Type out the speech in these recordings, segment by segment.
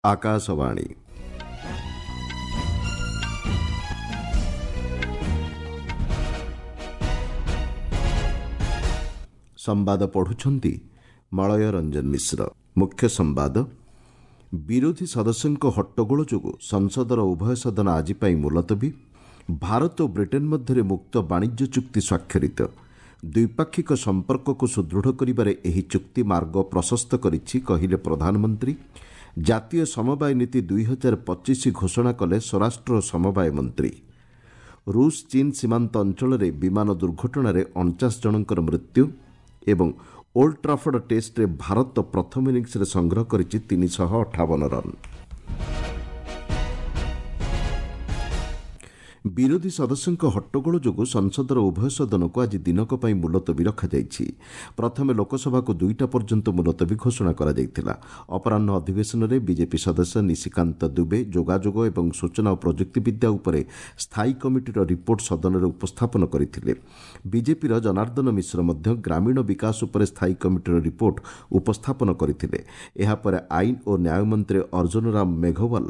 ଆକାଶବାଣୀ। ସମ୍ବାଦ ପଢୁଛନ୍ତି ମଳୟ ରଞ୍ଜନ ମିଶ୍ର। ମୁଖ୍ୟ ସମ୍ବାଦ। ବିରୋଧୀ ସଦସ୍ୟଙ୍କ ହଟ୍ଟଗୋଳ ଯୋଗୁଁ ସଂସଦର ଉଭୟ ସଦନ ଆଜି ପାଇଁ ମୁଲତବୀ। ଭାରତ ଓ ବ୍ରିଟେନ୍ ମଧ୍ୟରେ ମୁକ୍ତ ବାଣିଜ୍ୟ ଚୁକ୍ତି ସ୍ୱାକ୍ଷରିତ। ଦ୍ୱିପାକ୍ଷିକ ସମ୍ପର୍କକୁ ସୁଦୃଢ଼ କରିବାରେ ଏହି ଚୁକ୍ତି ମାର୍ଗ ପ୍ରଶସ୍ତ କରିଛି, କହିଲେ ପ୍ରଧାନମନ୍ତ୍ରୀ। ଜାତୀୟ ସମବାୟ ନୀତି 2025 ଘୋଷଣା କଲେ ସ୍ୱରାଷ୍ଟ୍ର ଓ ସମବାୟ ମନ୍ତ୍ରୀ। ରୁଷ ଚୀନ୍ ସୀମାନ୍ତ ଅଞ୍ଚଳରେ ବିମାନ ଦୁର୍ଘଟଣାରେ 49 ଜଣଙ୍କର ମୃତ୍ୟୁ। ଏବଂ ଓଲ୍ଡ ଟ୍ରାଫର୍ଡ ଟେଷ୍ଟରେ ଭାରତ ପ୍ରଥମ ଇନିଂସରେ ସଂଗ୍ରହ କରିଛି 358 ରନ୍। ବିରୋଧୀ ସଦସ୍ୟଙ୍କ ହଟ୍ଟଗୋଳ ଯୋଗୁଁ ସଂସଦର ଉଭୟ ସଦନକୁ ଆଜି ଦିନକ ପାଇଁ ମୁଲତବୀ ରଖାଯାଇଛି। ପ୍ରଥମେ ଲୋକସଭାକୁ 2ଟା ପର୍ଯ୍ୟନ୍ତ ମୁଲତବୀ ଘୋଷଣା କରାଯାଇଥିଲା। ଅପରାହ୍ନ ଅଧିବେଶନରେ ବିଜେପି ସଦସ୍ୟ ନିଶିକାନ୍ତ ଦୁବେ ଯୋଗାଯୋଗ ଏବଂ ସୂଚନା ଓ ପ୍ରଯୁକ୍ତିବିଦ୍ୟା ଉପରେ ସ୍ଥାୟୀ କମିଟିର ରିପୋର୍ଟ ସଦନରେ ଉପସ୍ଥାପନ କରିଥିଲେ। ବିଜେପିର ଜନାର୍ଦ୍ଦନ ମିଶ୍ର ମଧ୍ୟ ଗ୍ରାମୀଣ ବିକାଶ ଉପରେ ସ୍ଥାୟୀ କମିଟିର ରିପୋର୍ଟ ଉପସ୍ଥାପନ କରିଥିଲେ। ଏହାପରେ ଆଇନ ଓ ନ୍ୟାୟ ମନ୍ତ୍ରୀ ଅର୍ଜୁନ ରାମ ମେଘୱାଲ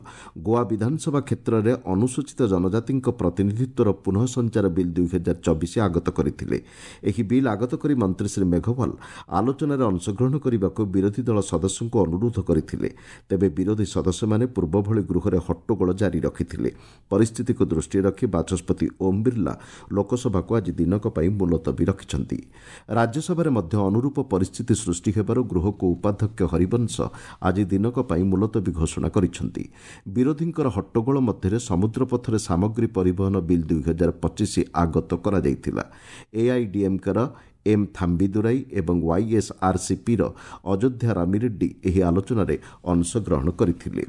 ଗୋଆ ବିଧାନସଭା କ୍ଷେତ୍ରରେ ଅନୁସୂଚିତ ଜନଜାତିଙ୍କ ପ୍ରତିନିଧିତ୍ୱର ପୁନଃ ସଞ୍ଚାର ବିଲ୍ 2024 ଆଗତ କରିଥିଲେ। ଏହି ବିଲ୍ ଆଗତ କରି ମନ୍ତ୍ରୀ ଶ୍ରୀ ମେଘୱାଲ ଆଲୋଚନାରେ ଅଂଶଗ୍ରହଣ କରିବାକୁ ବିରୋଧୀ ଦଳ ସଦସ୍ୟଙ୍କୁ ଅନୁରୋଧ କରିଥିଲେ। ତେବେ ବିରୋଧୀ ସଦସ୍ୟମାନେ ପୂର୍ବଭଳି ଗୃହରେ ହଟ୍ଟଗୋଳ ଜାରି ରଖିଥିଲେ। ପରିସ୍ଥିତିକୁ ଦୃଷ୍ଟିରେ ରଖି ବାଚସ୍ପତି ଓମ୍ ବିର୍ଲା ଲୋକସଭାକୁ ଆଜି ଦିନକ ପାଇଁ ମୁଲତବୀ ରଖିଛନ୍ତି। ରାଜ୍ୟସଭାରେ ମଧ୍ୟ ଅନୁରୂପ ପରିସ୍ଥିତି ସୃଷ୍ଟି ହେବାରୁ ଗୃହକୁ ଉପାଧ୍ୟକ୍ଷ ହରିବଂଶ ଆଜି ଦିନକ ପାଇଁ ମୁଲତବୀ ଘୋଷଣା କରିଛନ୍ତି। ବିରୋଧୀଙ୍କର ହଟ୍ଟଗୋଳ ମଧ୍ୟରେ ସମୁଦ୍ରପଥରେ ସାମଗ୍ରୀ ପରିବହନ ବିଲ୍ 2025 ଆଗତ କରାଯାଇଥିଲା। ଏଆଇଡିଏମ୍କେର ଏମ୍ ଥାମ୍ବିଦୁରାଇ ଏବଂ ୱାଇଏସ୍ଆର୍ସିପିର ଅଯୋଧ୍ୟା ରାମିରେଡ୍ଡି ଏହି ଆଲୋଚନାରେ ଅଂଶଗ୍ରହଣ କରିଥିଲେ।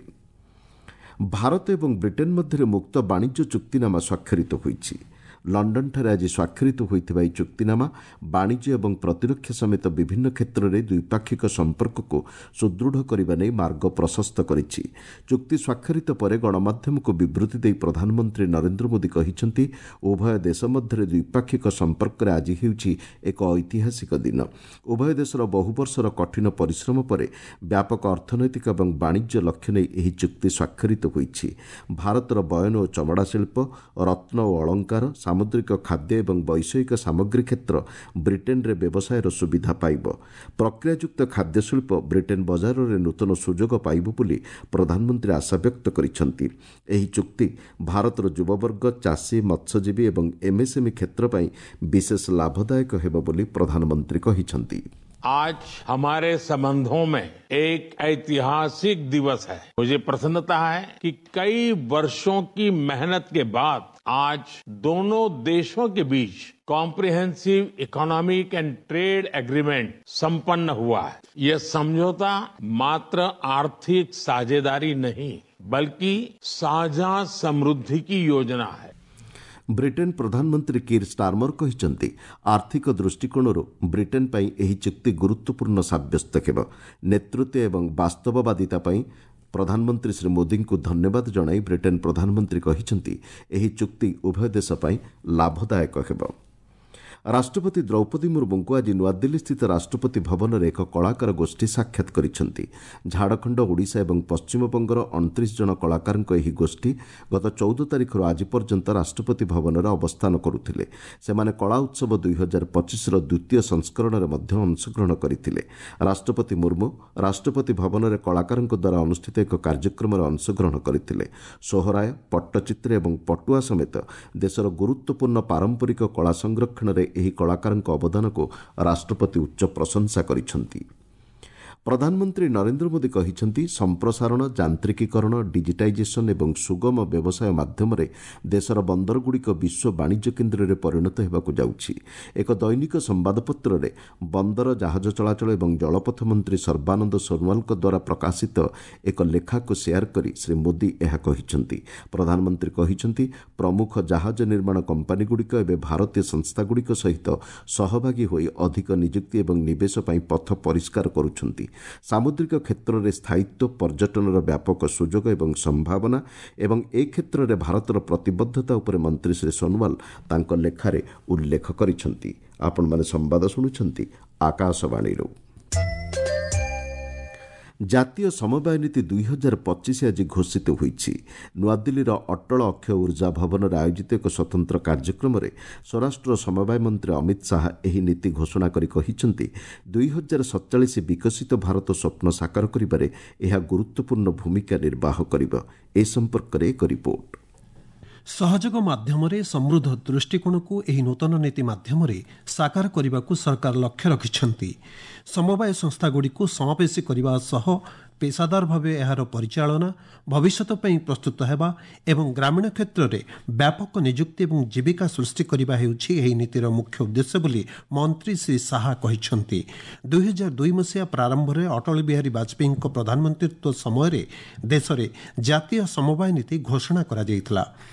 ଭାରତ ଏବଂ ବ୍ରିଟେନ୍ ମଧ୍ୟରେ ମୁକ୍ତ ବାଣିଜ୍ୟ ଚୁକ୍ତିନାମା ସ୍ୱାକ୍ଷରିତ ହୋଇଛି। ଲଣ୍ଡନଠାରେ ଆଜି ସ୍ୱାକ୍ଷରିତ ହୋଇଥିବା ଏହି ଚୁକ୍ତିନାମା ବାଣିଜ୍ୟ ଏବଂ ପ୍ରତିରକ୍ଷା ସମେତ ବିଭିନ୍ନ କ୍ଷେତ୍ରରେ ଦ୍ୱିପାକ୍ଷିକ ସମ୍ପର୍କକୁ ସୁଦୃଢ଼ କରିବା ନେଇ ମାର୍ଗ ପ୍ରଶସ୍ତ କରିଛି। ଚୁକ୍ତି ସ୍ୱାକ୍ଷରିତ ପରେ ଗଣମାଧ୍ୟମକୁ ବିବୃତି ଦେଇ ପ୍ରଧାନମନ୍ତ୍ରୀ ନରେନ୍ଦ୍ର ମୋଦି କହିଛନ୍ତି, ଉଭୟ ଦେଶ ମଧ୍ୟରେ ଦ୍ୱିପାକ୍ଷିକ ସମ୍ପର୍କରେ ଆଜି ହେଉଛି ଏକ ଐତିହାସିକ ଦିନ। ଉଭୟ ଦେଶର ବହୁ ବର୍ଷର କଠିନ ପରିଶ୍ରମ ପରେ ବ୍ୟାପକ ଅର୍ଥନୈତିକ ଏବଂ ବାଣିଜ୍ୟ ଲକ୍ଷ୍ୟ ନେଇ ଏହି ଚୁକ୍ତି ସ୍ୱାକ୍ଷରିତ ହୋଇଛି। ଭାରତର ବୟନ ଓ ଚମଡ଼ା ଶିଳ୍ପ, ରତ୍ନ ଓ ଅଳଙ୍କାର, ସାମୁଦ୍ରିକ ଖାଦ୍ୟ ଏବଂ ବୈଷୟିକ ସାମଗ୍ରୀ କ୍ଷେତ୍ର ବ୍ରିଟେନ୍ରେ ବ୍ୟବସାୟର ସୁବିଧା ପାଇବ। ପ୍ରକ୍ରିୟାଯୁକ୍ତ ଖାଦ୍ୟ ଶିଳ୍ପ ବ୍ରିଟେନ୍ ବଜାରରେ ନୂତନ ସୁଯୋଗ ପାଇବ ବୋଲି ପ୍ରଧାନମନ୍ତ୍ରୀ ଆଶାବ୍ୟକ୍ତ କରିଛନ୍ତି। ଏହି ଚୁକ୍ତି ଭାରତର ଯୁବବର୍ଗ, ଚାଷୀ, ମତ୍ସ୍ୟଜୀବୀ ଏବଂ ଏମ୍ଏସ୍ଏମ୍ଇ କ୍ଷେତ୍ର ପାଇଁ ବିଶେଷ ଲାଭଦାୟକ ହେବ ବୋଲି ପ୍ରଧାନମନ୍ତ୍ରୀ କହିଛନ୍ତି। आज हमारे संबंधों में एक ऐतिहासिक दिवस है। मुझे प्रसन्नता है कि कई वर्षों की मेहनत के बाद आज दोनों देशों के बीच comprehensive economic and trade agreement संपन्न हुआ है। यह समझौता मात्र आर्थिक साझेदारी नहीं, बल्कि साझा समृद्धि की योजना है। ବ୍ରିଟେନ୍ ପ୍ରଧାନମନ୍ତ୍ରୀ କିର୍ ଷ୍ଟାର୍ମର କହିଛନ୍ତି, ଆର୍ଥିକ ଦୃଷ୍ଟିକୋଣରୁ ବ୍ରିଟେନ୍ ପାଇଁ ଏହି ଚୁକ୍ତି ଗୁରୁତ୍ୱପୂର୍ଣ୍ଣ ସାବ୍ୟସ୍ତ ହେବ। ନେତୃତ୍ୱ ଏବଂ ବାସ୍ତବବାଦିତା ପାଇଁ ପ୍ରଧାନମନ୍ତ୍ରୀ ଶ୍ରୀ ମୋଦିଙ୍କୁ ଧନ୍ୟବାଦ ଜଣାଇ ବ୍ରିଟେନ୍ ପ୍ରଧାନମନ୍ତ୍ରୀ କହିଛନ୍ତି, ଏହି ଚୁକ୍ତି ଉଭୟ ଦେଶ ପାଇଁ ଲାଭଦାୟକ ହେବ। ରାଷ୍ଟ୍ରପତି ଦ୍ରୌପଦୀ ମୁର୍ମୁଙ୍କୁ ଆଜି ନୂଆଦିଲ୍ଲୀସ୍ଥିତ ରାଷ୍ଟ୍ରପତି ଭବନରେ ଏକ କଳାକାର ଗୋଷ୍ଠୀ ସାକ୍ଷାତ କରିଛନ୍ତି। ଝାଡ଼ଖଣ୍ଡ, ଓଡ଼ିଶା ଏବଂ ପଶ୍ଚିମବଙ୍ଗର 29 ଜଣ କଳାକାରଙ୍କ ଏହି ଗୋଷ୍ଠୀ ଗତ 14 ତାରିଖରୁ ଆଜି ପର୍ଯ୍ୟନ୍ତ ରାଷ୍ଟ୍ରପତି ଭବନରେ ଅବସ୍ଥାନ କରୁଥିଲେ। ସେମାନେ କଳା ଉତ୍ସବ 2025ର ଦ୍ୱିତୀୟ ସଂସ୍କରଣରେ ମଧ୍ୟ ଅଂଶଗ୍ରହଣ କରିଥିଲେ। ରାଷ୍ଟ୍ରପତି ମୁର୍ମୁ ରାଷ୍ଟ୍ରପତି ଭବନରେ କଳାକାରଙ୍କ ଦ୍ୱାରା ଅନୁଷ୍ଠିତ ଏକ କାର୍ଯ୍ୟକ୍ରମରେ ଅଂଶଗ୍ରହଣ କରିଥିଲେ। ସୋହରାୟ, ପଟ୍ଟଚିତ୍ର ଏବଂ ପଟୁଆ ସମେତ ଦେଶର ଗୁରୁତ୍ୱପୂର୍ଣ୍ଣ ପାରମ୍ପରିକ କଳା ସଂରକ୍ଷଣରେ ଏହି କଳାକାରଙ୍କ ଅବଦାନକୁ ରାଷ୍ଟ୍ରପତି ଉଚ୍ଚ ପ୍ରଶଂସା କରିଛନ୍ତି। ପ୍ରଧାନମନ୍ତ୍ରୀ ନରେନ୍ଦ୍ର ମୋଦି କହିଛନ୍ତି, ସମ୍ପ୍ରସାରଣ, ଯାନ୍ତ୍ରିକୀକରଣ, ଡିଜିଟାଇଜେସନ୍ ଏବଂ ସୁଗମ ବ୍ୟବସାୟ ମାଧ୍ୟମରେ ଦେଶର ବନ୍ଦରଗୁଡ଼ିକ ବିଶ୍ୱ ବାଣିଜ୍ୟ କେନ୍ଦ୍ରରେ ପରିଣତ ହେବାକୁ ଯାଉଛି। ଏକ ଦୈନିକ ସମ୍ବାଦପତ୍ରରେ ବନ୍ଦର, ଜାହାଜ ଚଳାଚଳ ଏବଂ ଜଳପଥ ମନ୍ତ୍ରୀ ସର୍ବାନନ୍ଦ ସୋନୱାଲଙ୍କ ଦ୍ୱାରା ପ୍ରକାଶିତ ଏକ ଲେଖାକୁ ସେୟାର କରି ଶ୍ରୀ ମୋଦି ଏହା କହିଛନ୍ତି। ପ୍ରଧାନମନ୍ତ୍ରୀ କହିଛନ୍ତି, ପ୍ରମୁଖ ଜାହାଜ ନିର୍ମାଣ କମ୍ପାନୀଗୁଡ଼ିକ ଏବେ ଭାରତୀୟ ସଂସ୍ଥାଗୁଡ଼ିକ ସହିତ ସହଭାଗୀ ହୋଇ ଅଧିକ ନିଯୁକ୍ତି ଏବଂ ନିବେଶ ପାଇଁ ପଥ ପରିଷ୍କାର କରୁଛନ୍ତି। ସାମୁଦ୍ରିକ କ୍ଷେତ୍ରରେ ସ୍ଥାୟିତ୍ୱ, ପର୍ଯ୍ୟଟନର ବ୍ୟାପକ ସୁଯୋଗ ଏବଂ ସମ୍ଭାବନା ଏବଂ ଏ କ୍ଷେତ୍ରରେ ଭାରତର ପ୍ରତିବଦ୍ଧତା ଉପରେ ମନ୍ତ୍ରୀ ଶ୍ରୀ ସୋନୱାଲ ତାଙ୍କ ଲେଖାରେ ଉଲ୍ଲେଖ କରିଛନ୍ତି। ଆପଣମାନେ ସମ୍ବାଦ ଶୁଣୁଛନ୍ତି ଆକାଶବାଣୀରୁ। ଜାତୀୟ ସମବାୟ ନୀତି 2025 ଆଜି ଘୋଷିତ ହୋଇଛି। ନୂଆଦିଲ୍ଲୀର ଅଟଳ ଅକ୍ଷୟ ଉର୍ଜା ଭବନରେ ଆୟୋଜିତ ଏକ ସ୍ୱତନ୍ତ୍ର କାର୍ଯ୍ୟକ୍ରମରେ ସ୍ୱରାଷ୍ଟ୍ର ସମବାୟ ମନ୍ତ୍ରୀ ଅମିତ ଶାହା ଏହି ନୀତି ଘୋଷଣା କରି କହିଛନ୍ତି, 2047 ବିକଶିତ ଭାରତ ସ୍ୱପ୍ନ ସାକାର କରିବାରେ ଏହା ଗୁରୁତ୍ୱପୂର୍ଣ୍ଣ ଭୂମିକା ନିର୍ବାହ କରିବ। ଏ ସମ୍ପର୍କରେ ଏକ ରିପୋର୍ଟ। ସହଯୋଗ ମାଧ୍ୟମରେ ସମୃଦ୍ଧ ଦୃଷ୍ଟିକୋଣକୁ ଏହି ନୂତନ ନୀତି ମାଧ୍ୟମରେ ସାକାର କରିବାକୁ ସରକାର ଲକ୍ଷ୍ୟ ରଖିଛନ୍ତି। ସମବାୟ ସଂସ୍ଥାଗୁଡ଼ିକୁ ସମାବେଶୀ କରିବା ସହ ପେସାଦାର ଭାବେ ଏହାର ପରିଚାଳନା, ଭବିଷ୍ୟତ ପାଇଁ ପ୍ରସ୍ତୁତ ହେବା ଏବଂ ଗ୍ରାମୀଣ କ୍ଷେତ୍ରରେ ବ୍ୟାପକ ନିଯୁକ୍ତି ଏବଂ ଜୀବିକା ସୃଷ୍ଟି କରିବା ହେଉଛି ଏହି ନୀତିର ମୁଖ୍ୟ ଉଦ୍ଦେଶ୍ୟ ବୋଲି ମନ୍ତ୍ରୀ ଶ୍ରୀ ଶାହା କହିଛନ୍ତି। 2002 ମସିହା ପ୍ରାରମ୍ଭରେ ଅଟଳ ବିହାରୀ ବାଜପେୟୀଙ୍କ ପ୍ରଧାନମନ୍ତ୍ରୀତ୍ୱ ସମୟରେ ଦେଶରେ ଜାତୀୟ ସମବାୟ ନୀତି ଘୋଷଣା କରାଯାଇଥିଲା।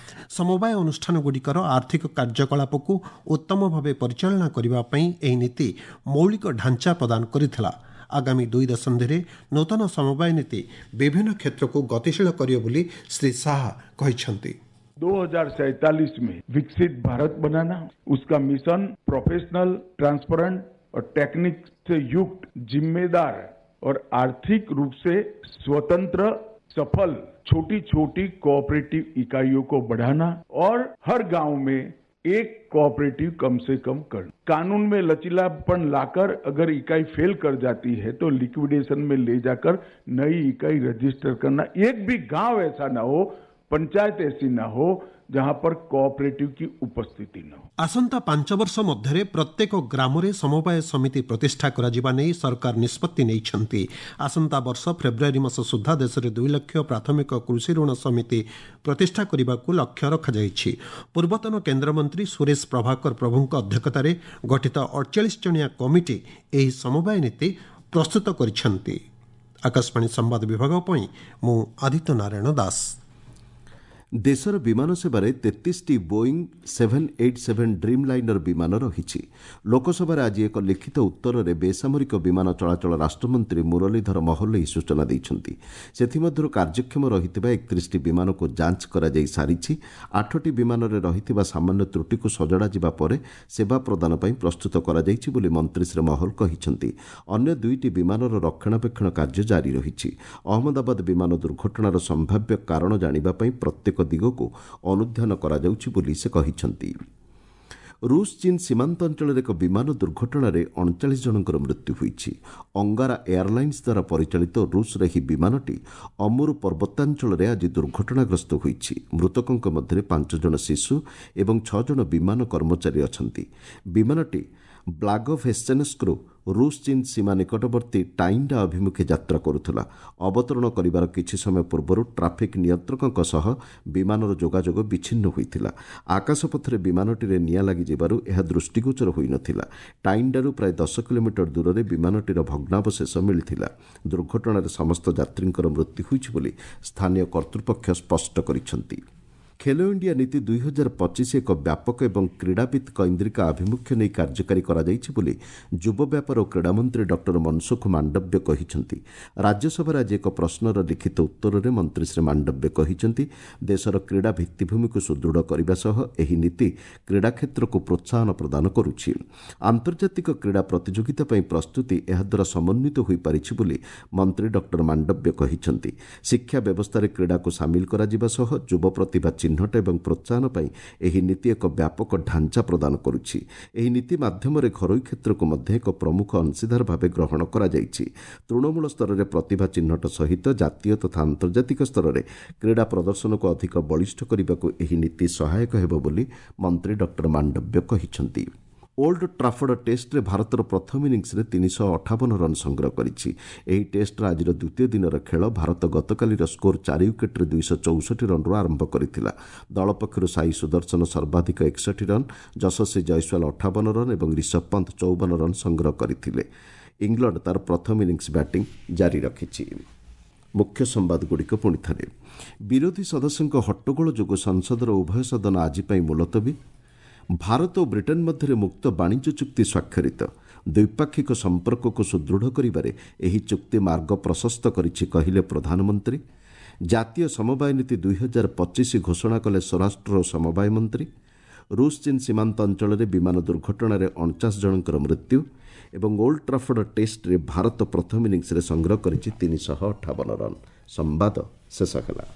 ସମବାୟ ଅନୁଷ୍ଠାନଗୁଡ଼ିକର ଆର୍ଥିକ କାର୍ଯ୍ୟକଳାପକୁ ଉତ୍ତମ ଭାବେ ପରିଚାଳନା କରିବା ପାଇଁ ଏହି ନୀତି ମୌଳିକ ଢାଞ୍ଚା ପ୍ରଦାନ କରିଥିଲା। ଆଗାମୀ 2 ଦଶନ୍ଧିରେ ନୂତନ ସମବାୟ ନୀତି ବିଭିନ୍ନ କ୍ଷେତ୍ରକୁ ଗତିଶୀଳ କରିବ ବୋଲି ଶ୍ରୀ ଶାହା କହିଛନ୍ତି। 2047 में विकसित भारत बनाना, उसका मिशन प्रोफेशनल, ट्रांसपेरेंट और टेक्निक से युक्त, जिम्मेदार और आर्थिक रूप से स्वतंत्र, सफल छोटी छोटी कोऑपरेटिव इकाइयों को बढ़ाना और हर गांव में एक कोऑपरेटिव कम से कम करना। कानून में लचीलापन लाकर अगर इकाई फेल कर जाती है तो लिक्विडेशन में ले जाकर नई इकाई रजिस्टर करना। एक भी गांव ऐसा ना हो, पंचायत ऐसी ना हो जहां पर कोऑपरेटिव की उपस्थिति न हो। ଆସନ୍ତା 5 ବର୍ଷ ମଧ୍ୟରେ ପ୍ରତ୍ୟେକ ଗ୍ରାମରେ ସମବାୟ ସମିତି ପ୍ରତିଷ୍ଠା କରାଯିବା ନେଇ ସରକାର ନିଷ୍ପତ୍ତି ନେଇଛନ୍ତି। ଆସନ୍ତା ବର୍ଷ ଫେବୃଆରୀ ମାସ ସୁଦ୍ଧା ଦେଶରେ 2 ଲକ୍ଷ ପ୍ରାଥମିକ କୃଷି ଋଣ ସମିତି ପ୍ରତିଷ୍ଠା କରିବାକୁ ଲକ୍ଷ୍ୟ ରଖାଯାଇଛି। ପୂର୍ବତନ କେନ୍ଦ୍ରମନ୍ତ୍ରୀ ସୁରେଶ ପ୍ରଭାକର ପ୍ରଭୁଙ୍କ ଅଧ୍ୟକ୍ଷତାରେ ଗଠିତ 48 ଜଣିଆ କମିଟି ଏହି ସମବାୟ ନୀତି ପ୍ରସ୍ତୁତ କରିଛନ୍ତି। ଆକାଶବାଣୀ ସମ୍ବାଦ ବିଭାଗ ପାଇଁ ମୁଁ ଆଦିତ୍ୟ ନାରାୟଣ ଦାସ। ଦେଶର ବିମାନ ସେବାରେ 33ଟି ବୋଇଂ 787 ଡ୍ରିମ୍ ଲାଇନର ବିମାନ ରହିଛି। ଲୋକସଭାରେ ଆଜି ଏକ ଲିଖିତ ଉତ୍ତରରେ ବେସାମରିକ ବିମାନ ଚଳାଚଳ ରାଷ୍ଟ୍ରମନ୍ତ୍ରୀ ମୁରଲୀଧର ମହଲ ଏହି ସୂଚନା ଦେଇଛନ୍ତି। ସେଥିମଧ୍ୟରୁ କାର୍ଯ୍ୟକ୍ଷମ ରହିଥିବା 31ଟି ବିମାନକୁ ଯାଞ୍ଚ କରାଯାଇ ସାରିଛି। 8ଟି ବିମାନରେ ରହିଥିବା ସାମାନ୍ୟ ତ୍ରୁଟିକୁ ସଜଡ଼ାଯିବା ପରେ ସେବା ପ୍ରଦାନ ପାଇଁ ପ୍ରସ୍ତୁତ କରାଯାଇଛି ବୋଲି ମନ୍ତ୍ରୀ ଶ୍ରୀ ମହଲ କହିଛନ୍ତି। ଅନ୍ୟ 2ଟି ବିମାନର ରକ୍ଷଣାବେକ୍ଷଣ କାର୍ଯ୍ୟ ଜାରି ରହିଛି। ଅହମ୍ମଦାବାଦ ବିମାନ ଦୁର୍ଘଟଣାର ସମ୍ଭାବ୍ୟ କାରଣ ଜାଣିବା ପାଇଁ ପ୍ରତ୍ୟେକ ଦିଗକୁ ଅନୁଧ୍ୟାନ କରାଯାଉଛି ବୋଲି ସେ କହିଛନ୍ତି। ରୁଷ ଚୀନ ସୀମାନ୍ତ ଅଞ୍ଚଳରେ ଏକ ବିମାନ ଦୁର୍ଘଟଣାରେ 39 ଜଣଙ୍କର ମୃତ୍ୟୁ ହୋଇଛି। ଅଙ୍ଗାରା ଏୟାରଲାଇନ୍ସ ଦ୍ୱାରା ପରିଚାଳିତ ରୁଷର ଏହି ବିମାନଟି ଅମୁର ପର୍ବତାଞ୍ଚଳରେ ଆଜି ଦୁର୍ଘଟଣାଗ୍ରସ୍ତ ହୋଇଛି। ମୃତକଙ୍କ ମଧ୍ୟରେ 5 ଜଣ ଶିଶୁ ଏବଂ 6 ଜଣ ବିମାନ କର୍ମଚାରୀ ଅଛନ୍ତି। ବିମାନଟି ବ୍ଲାଗୋଭେଶ୍ଚେନସ୍କରୁ ରୁଷ ଚୀନ ସୀମା ନିକଟବର୍ତ୍ତୀ ଟାଇଣ୍ଡା ଅଭିମୁଖେ ଯାତ୍ରା କରୁଥିଲା। ଅବତରଣ କରିବାର କିଛି ସମୟ ପୂର୍ବରୁ ଟ୍ରାଫିକ୍ ନିୟନ୍ତ୍ରକଙ୍କ ସହ ବିମାନର ଯୋଗାଯୋଗ ବିଚ୍ଛିନ୍ନ ହୋଇଥିଲା। ଆକାଶପଥରେ ବିମାନଟିରେ ନିଆଁ ଲାଗିଯିବାରୁ ଏହା ଦୃଷ୍ଟିଗୋଚର ହୋଇନଥିଲା। ଟାଇଣ୍ଡାରୁ ପ୍ରାୟ 10 କିଲୋମିଟର ଦୂରରେ ବିମାନଟିର ଭଗ୍ନାବଶେଷ ମିଳିଥିଲା। ଦୁର୍ଘଟଣାରେ ସମସ୍ତ ଯାତ୍ରୀଙ୍କର ମୃତ୍ୟୁ ହୋଇଛି ବୋଲି ସ୍ଥାନୀୟ କର୍ତ୍ତୃପକ୍ଷ ସ୍ପଷ୍ଟ କରିଛନ୍ତି। ଖେଲୋ ଇଣ୍ଡିଆ ନୀତି 2025 ଏକ ବ୍ୟାପକ ଏବଂ କ୍ରୀଡ଼ାବିତ୍ କୈନ୍ଦ୍ରିକ ଆଭିମୁଖ୍ୟ ନେଇ କାର୍ଯ୍ୟକାରୀ କରାଯାଇଛି ବୋଲି ଯୁବ ବ୍ୟାପାର ଓ କ୍ରୀଡ଼ାମନ୍ତ୍ରୀ ଡକ୍ଟର ମନସୁଖ ମାଣ୍ଡବ୍ୟ କହିଛନ୍ତି। ରାଜ୍ୟସଭାରେ ଆଜି ଏକ ପ୍ରଶ୍ନର ଲିଖିତ ଉତ୍ତରରେ ମନ୍ତ୍ରୀ ଶ୍ରୀ ମାଣ୍ଡବ୍ୟ କହିଛନ୍ତି, ଦେଶର କ୍ରୀଡ଼ା ଭିତ୍ତିଭୂମିକୁ ସୁଦୃଢ଼ କରିବା ସହ ଏହି ନୀତି କ୍ରୀଡ଼ା କ୍ଷେତ୍ରକୁ ପ୍ରୋତ୍ସାହନ ପ୍ରଦାନ କରୁଛି। ଆନ୍ତର୍ଜାତିକ କ୍ରୀଡ଼ା ପ୍ରତିଯୋଗିତା ପାଇଁ ପ୍ରସ୍ତୁତି ଏହାଦ୍ୱାରା ସମନ୍ୱିତ ହୋଇପାରିଛି ବୋଲି ମନ୍ତ୍ରୀ ଡକ୍ଟର ମାଣ୍ଡବ୍ୟ କହିଛନ୍ତି। ଶିକ୍ଷା ବ୍ୟବସ୍ଥାରେ କ୍ରୀଡ଼ାକୁ ସାମିଲ କରାଯିବା ସହ ଯୁବ ପ୍ରତିଭା ଚିହ୍ନଟ ଏବଂ ପ୍ରୋତ୍ସାହନ ପାଇଁ ଏହି ନୀତି ଏକ ବ୍ୟାପକ ଢାଞ୍ଚା ପ୍ରଦାନ କରୁଛି। ଏହି ନୀତି ମାଧ୍ୟମରେ ଘରୋଇ କ୍ଷେତ୍ରକୁ ମଧ୍ୟ ଏକ ପ୍ରମୁଖ ଅଂଶୀଦାର ଭାବେ ଗ୍ରହଣ କରାଯାଇଛି। ତୃଣମୂଳ ସ୍ତରରେ ପ୍ରତିଭା ଚିହ୍ନଟ ସହିତ ଜାତୀୟ ତଥା ଆନ୍ତର୍ଜାତିକ ସ୍ତରରେ କ୍ରୀଡ଼ା ପ୍ରଦର୍ଶନକୁ ଅଧିକ ବଳିଷ୍ଠ କରିବାକୁ ଏହି ନୀତି ସହାୟକ ହେବ ବୋଲି ମନ୍ତ୍ରୀ ଡକ୍ଟର ମାଣ୍ଡବ୍ୟ କହିଛନ୍ତି। ଓଲ୍ଡ ଟ୍ରାଫର୍ଡ ଟେଷ୍ଟରେ ଭାରତର ପ୍ରଥମ ଇନିଂସରେ 358 ରନ୍ ସଂଗ୍ରହ କରିଛି। ଏହି ଟେଷ୍ଟର ଆଜିର ଦ୍ୱିତୀୟ ଦିନର ଖେଳ ଭାରତ ଗତକାଲିର ସ୍କୋର 4 ୱିକେଟ୍ରେ 264 ରନ୍ରୁ ଆରମ୍ଭ କରିଥିଲା। ଦଳ ପକ୍ଷରୁ ସାଇ ସୁଦର୍ଶନ ସର୍ବାଧିକ 61 ରନ୍, ଯଶସ୍ୱୀ ଜୟସ୍ୱାଲ 58 ରନ୍ ଏବଂ ରିଷଭ ପନ୍ତ 54 ରନ୍ ସଂଗ୍ରହ କରିଥିଲେ। ଇଂଲଣ୍ଡ ତା'ର ପ୍ରଥମ ଇନିଂସ ବ୍ୟାଟିଂ ଜାରି ରଖିଛି। ମୁଖ୍ୟ ସମ୍ବାଦଗୁଡ଼ିକ ପୁଣି ଥରେ। ବିରୋଧୀ ସଦସ୍ୟଙ୍କ ହଟ୍ଟଗୋଳ ଯୋଗୁଁ ସଂସଦର ଉଭୟ ସଦନ ଆଜି ପାଇଁ ମୁଲତବୀ। ଭାରତ ଓ ବ୍ରିଟେନ୍ ମଧ୍ୟରେ ମୁକ୍ତ ବାଣିଜ୍ୟ ଚୁକ୍ତି ସ୍ୱାକ୍ଷରିତ। ଦ୍ୱିପାକ୍ଷିକ ସମ୍ପର୍କକୁ ସୁଦୃଢ଼ କରିବାରେ ଏହି ଚୁକ୍ତି ମାର୍ଗ ପ୍ରଶସ୍ତ କରିଛି, କହିଲେ ପ୍ରଧାନମନ୍ତ୍ରୀ। ଜାତୀୟ ସମବାୟ ନୀତି 2025 ଘୋଷଣା କଲେ ସ୍ୱରାଷ୍ଟ୍ର ଓ ସମବାୟ ମନ୍ତ୍ରୀ। ରୁଷ ଚୀନ ସୀମାନ୍ତ ଅଞ୍ଚଳରେ ବିମାନ ଦୁର୍ଘଟଣାରେ 49 ଜଣଙ୍କର ମୃତ୍ୟୁ। ଏବଂ ଓଲ୍ଡ ଟ୍ରାଫୋର୍ଡ ଟେଷ୍ଟରେ ଭାରତ ପ୍ରଥମ ଇନିଂସରେ ସଂଗ୍ରହ କରିଛି 358 ରନ୍। ସମ୍ବାଦ ଶେଷ ହେଲା।